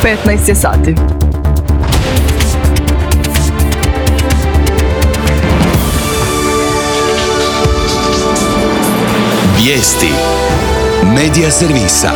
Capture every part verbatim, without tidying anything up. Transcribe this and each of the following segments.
petnaest je sati. Vijesti Medija servisa.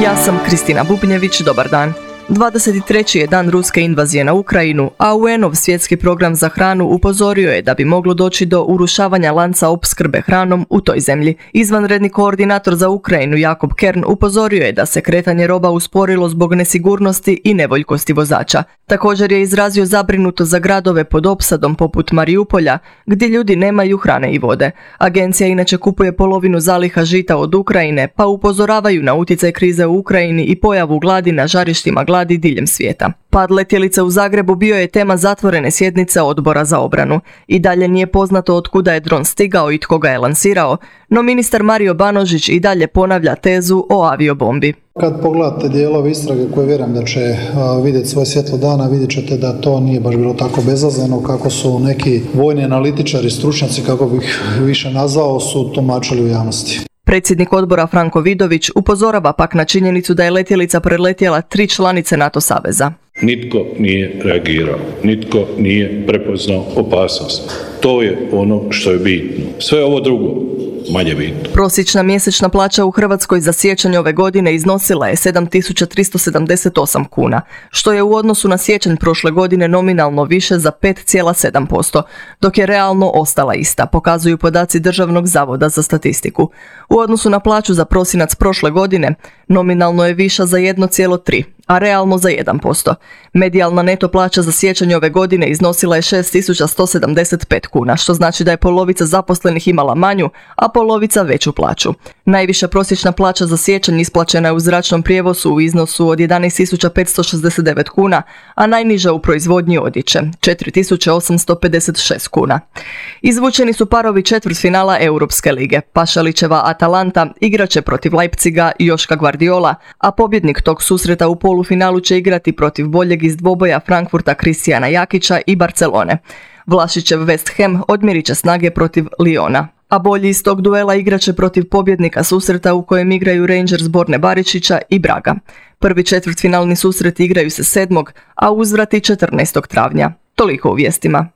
Ja sam Kristina Bubnjević, dobar dan. dvadeset treći je dan ruske invazije na Ukrajinu, a U N-ov svjetski program za hranu upozorio je da bi moglo doći do urušavanja lanca opskrbe hranom u toj zemlji. Izvanredni koordinator za Ukrajinu Jakob Kern upozorio je da se kretanje roba usporilo zbog nesigurnosti i nevoljkosti vozača. Također je izrazio zabrinutost za gradove pod opsadom poput Mariupolja, gdje ljudi nemaju hrane i vode. Agencija inače kupuje polovinu zaliha žita od Ukrajine, pa upozoravaju na utjecaj krize u Ukrajini i pojavu gladi na žarištima gladi diljem svijeta. Pad letjelice u Zagrebu bio je tema zatvorene sjednice Odbora za obranu. I dalje nije poznato od kuda je dron stigao i tko ga je lansirao, no ministar Mario Banožić i dalje ponavlja tezu o aviobombi. Kad pogledate dijelove istrage koje vjerujem da će uh, vidjeti svoje svjetlo dana, vidjet ćete da to nije baš bilo tako bezazleno kako su neki vojni analitičari, stručnjaci, kako bih više nazvao, su tumačili u javnosti. Predsjednik odbora Franko Vidović upozorava pak na činjenicu da je letjelica preletjela tri članice NATO saveza. Nitko nije reagirao, nitko nije prepoznao opasnost. To je ono što je bitno. Sve ovo drugo manje bitno. Prosječna mjesečna plaća u Hrvatskoj za siječanj ove godine iznosila je sedam tisuća tristo sedamdeset osam kuna, što je u odnosu na siječanj prošle godine nominalno više za pet zarez sedam posto, dok je realno ostala ista, pokazuju podaci Državnog zavoda za statistiku. U odnosu na plaću za prosinac prošle godine nominalno je viša za jedan zarez tri, a realno za jedan posto. Medijalna neto plaća za siječanj ove godine iznosila je šest tisuća sto sedamdeset pet kuna, što znači da je polovica zaposlenih imala manju, a polovica veću plaću. Najviša prosječna plaća za siječanj isplaćena je u zračnom prijevozu u iznosu od jedanaest tisuća petsto šezdeset devet kuna, a najniža u proizvodnji odjeće, četiri tisuće osamsto pedeset šest kuna. Izvučeni su parovi četvrtfinala Europske lige. Pašalićeva Atalanta igraće protiv Leipziga i Joška Guardiola, a pobjednik tog susreta u polufinalu će igrati protiv boljeg iz dvoboja Frankfurta Kristijana Jakića i Barcelone. Vlašićev West Ham odmjerit će snage protiv Liona, a bolji iz tog duela igraće protiv pobjednika susreta u kojem igraju Rangers Borne Barišića i Braga. Prvi četvrtfinalni susret igraju se sedmog, a uzvrati četrnaestog travnja. Toliko u vijestima.